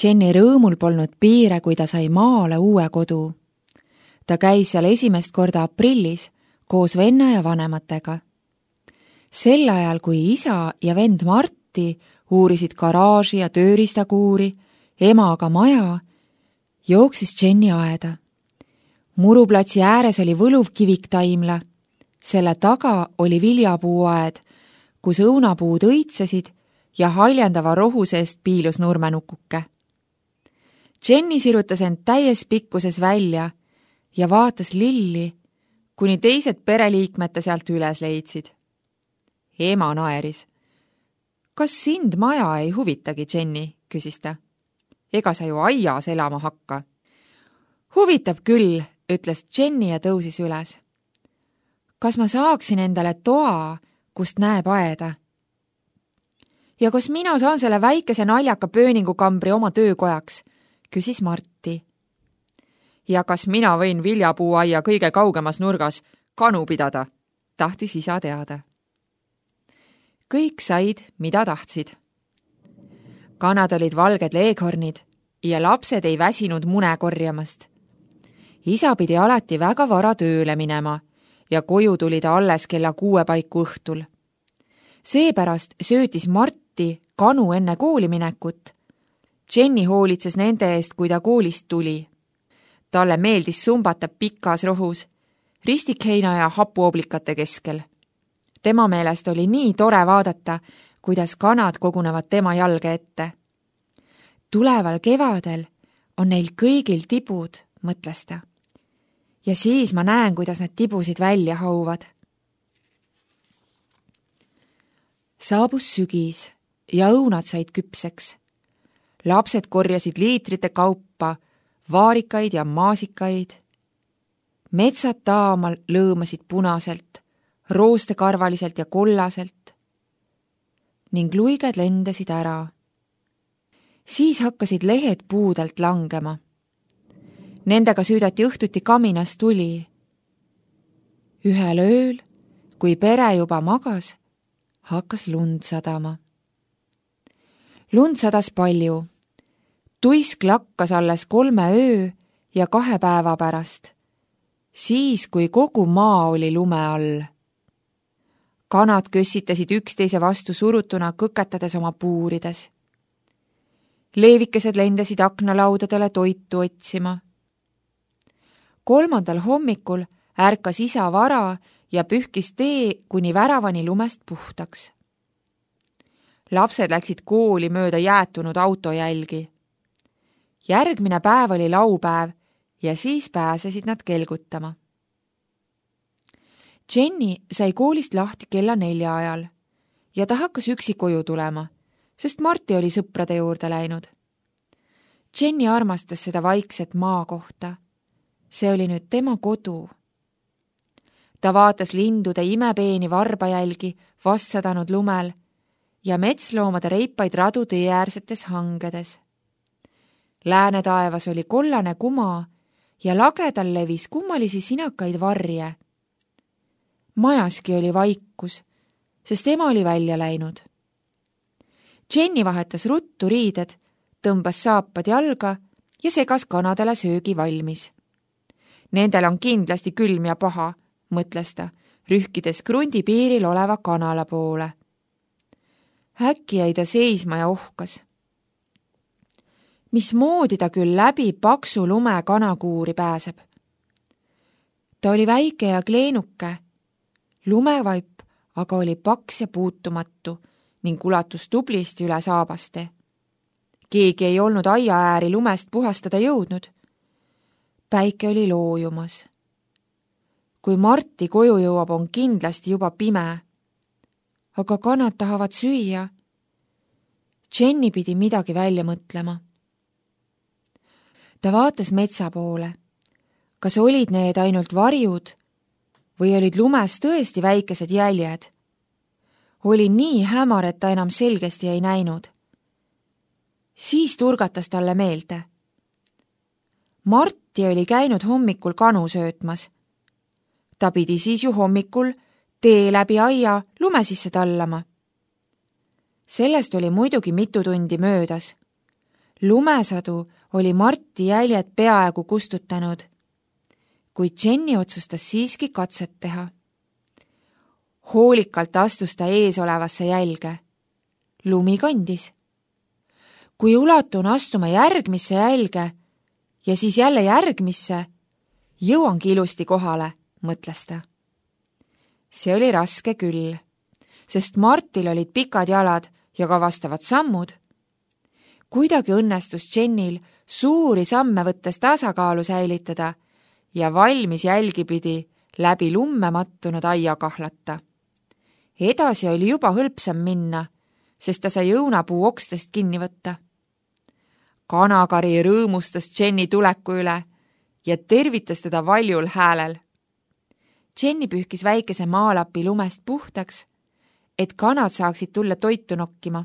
Jenny rõõmul polnud piire, kui ta sai maale uue kodu. Ta käis seal esimest korda aprillis koos venna ja vanematega. Sel ajal, kui isa ja vend Marti uurisid garaaži ja tööriistakuuri, ema aga maja, jooksis Jenny aeda. Muruplatsi ääres oli võluv kiviktaimla. Selle taga oli viljapuuaed, kus õunapuud õitsesid ja haljendava rohu seest piilus nurmenukuke. Jenny sirutas end täies pikkuses välja ja vaatas lilli, kuni teised pereliikmed ta sealt üles leidsid. Ema naeris. Kas sind maja ei huvitagi, Jenny, küsis ta. Ega sa ju aias elama hakka. Huvitab küll, ütles Jenny ja tõusis üles. Kas ma saaksin endale toa, kust näeb aeda? Ja kas mina saan selle väikese naljaka pööningukambri oma töökojaks, küsis Marti. Ja kas mina võin viljapuuaia kõige kaugemas nurgas kanu pidada, tahtis isa teada. Kõik said, mida tahtsid. Kanad olid valged leeghornid ja lapsed ei väsinud mune korjamast. Isa pidi alati väga vara tööle minema ja koju tuli ta alles kella 6 paiku õhtul. Seepärast söötis Marti kanu enne kooli minekut. Jenny hoolitses nende eest, kui ta koolist tuli. Talle meeldis sumbata pikas rohus, ristikheina ja hapuoblikate keskel. Tema meelest oli nii tore vaadata, kuidas kanad kogunevad tema jalge ette. Tuleval kevadel on neil kõigil tibud, mõtles ta. Ja siis ma näen, kuidas nad tibusid välja hauvad. Saabus sügis ja õunad said küpseks. Lapsed korjasid liitrite kaupa, vaarikaid ja maasikaid. Metsad taamal lõõmasid punaselt, roostekarvaliselt ja kollaselt ning luiged lendasid ära. Siis hakkasid lehed puudelt langema. Nendega süüdati õhtuti kaminas tuli. Ühel ööl, kui pere juba magas, hakkas lund sadama. Lund sadas palju. Tuisk lakkas alles 3 öö ja 2 päeva pärast, siis kui kogu maa oli lume all. Kanad kössitasid üksteise vastu surutuna, kõketades oma puurides. Leevikesed lendasid aknalaudadele toitu otsima. 3. hommikul ärkas isa vara ja pühkis tee kuni väravani lumest puhtaks. Lapsed läksid kooli mööda jäätunud autojälgi. Järgmine päev oli laupäev ja siis pääsesid nad kelgutama. Jenny sai koolist lahti kella 4 ajal ja ta hakkas üksi koju tulema, sest Marti oli sõprade juurde läinud. Jenny armastas seda vaikset maakohta. See oli nüüd tema kodu. Ta vaatas lindude imepeeni varbajälgi vastsadanud lumel ja metsloomade reipaid radu teeäärsetes hangedes. Lääne taevas oli kollane kuma ja lagedal levis kummalisi sinakaid varje. Majaski oli vaikus, sest ema oli välja läinud. Jenny vahetas ruttu riided, tõmbas saapad jalga ja segas kanadele söögi valmis. Nendel on kindlasti külm ja paha, mõtles ta, rühkides krundi piiril oleva kanala poole. Äkki jäi ta seisma ja ohkas. Mismoodi ta küll läbi paksu lume kanakuuri pääseb? Ta oli väike ja kleenuke. Lumevaip aga oli paks ja puutumatu ning ulatus tublisti üle saabaste. Keegi ei olnud aia ääri lumest puhastada jõudnud. Päike oli loojumas. Kui Marti koju jõuab, on kindlasti juba pime. Aga kanad tahavad süüa. Jenny pidi midagi välja mõtlema. Ta vaatas metsa poole. Kas olid need ainult varjud või olid lumes tõesti väikesed jäljed? Oli nii hämar, et ta enam selgesti ei näinud. Siis turgatas talle meelde. Marti oli käinud hommikul kanu söötmas. Ta pidi siis ju hommikul tee läbi aia lume sisse tallama. Sellest oli muidugi mitu tundi möödas. Lumesadu oli Marti jäljed peaaegu kustutanud, kuid Jenny otsustas siiski katset teha. Hoolikalt astus ta ees olevasse jälge. Lumi kandis. Kui ulatun astuma järgmisse jälge ja siis jälle järgmisse, jõuangi ilusti kohale, mõtles ta. See oli raske küll, sest Martil olid pikad jalad ja ka vastavad sammud. Kuidagi õnnestus Jennil suuri samme võttes tasakaalu säilitada ja valmis jälgipidi läbi lumme mattunud aia kahlata. Edasi oli juba hõlpsam minna, sest ta sai õunapuu okstest kinni võtta. Kanakari rõõmustas Jenny tuleku üle ja tervitas teda valjul häälel. Jenny pühkis väikese maalapi lumest puhtaks, et kanad saaksid tulla toitu nokkima.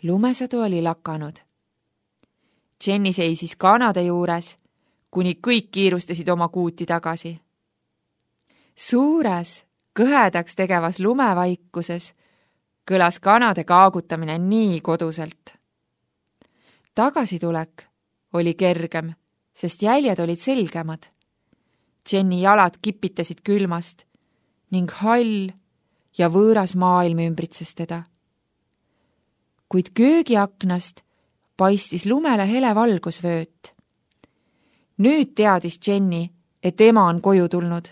Lumesadu oli lakanud. Jenny seisis kanade juures, kuni kõik kiirustasid oma kuuti tagasi. Suures, kõhedaks tegevas lumevaikuses kõlas kanade kaagutamine nii koduselt. Tagasitulek oli kergem, sest jäljed olid selgemad. Jenny jalad kipitasid külmast ning hall ja võõras maailm ümbritses teda. Kuid köögiaknast paistis lumele hele valgusvööt. Nüüd teadis Jenny, et ema on koju tulnud.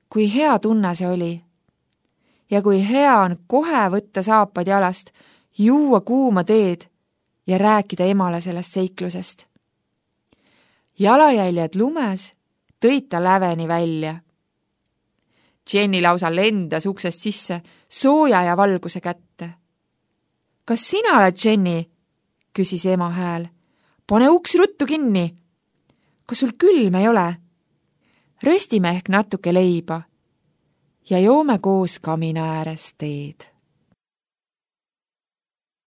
Kui hea tunne see oli. Ja kui hea on kohe võtta saapad jalast, juua kuuma teed ja rääkida emale sellest seiklusest. Jalajäljed lumes tõid ta läveni välja. Jenny lausa lendas uksest sisse sooja ja valguse kätte. Kas sina oled Jenny? Küsis ema hääl. Pane uks ruttu kinni. Kas sul külm ei ole? Röstime ehk natuke leiba ja joome koos kamina ääres teed.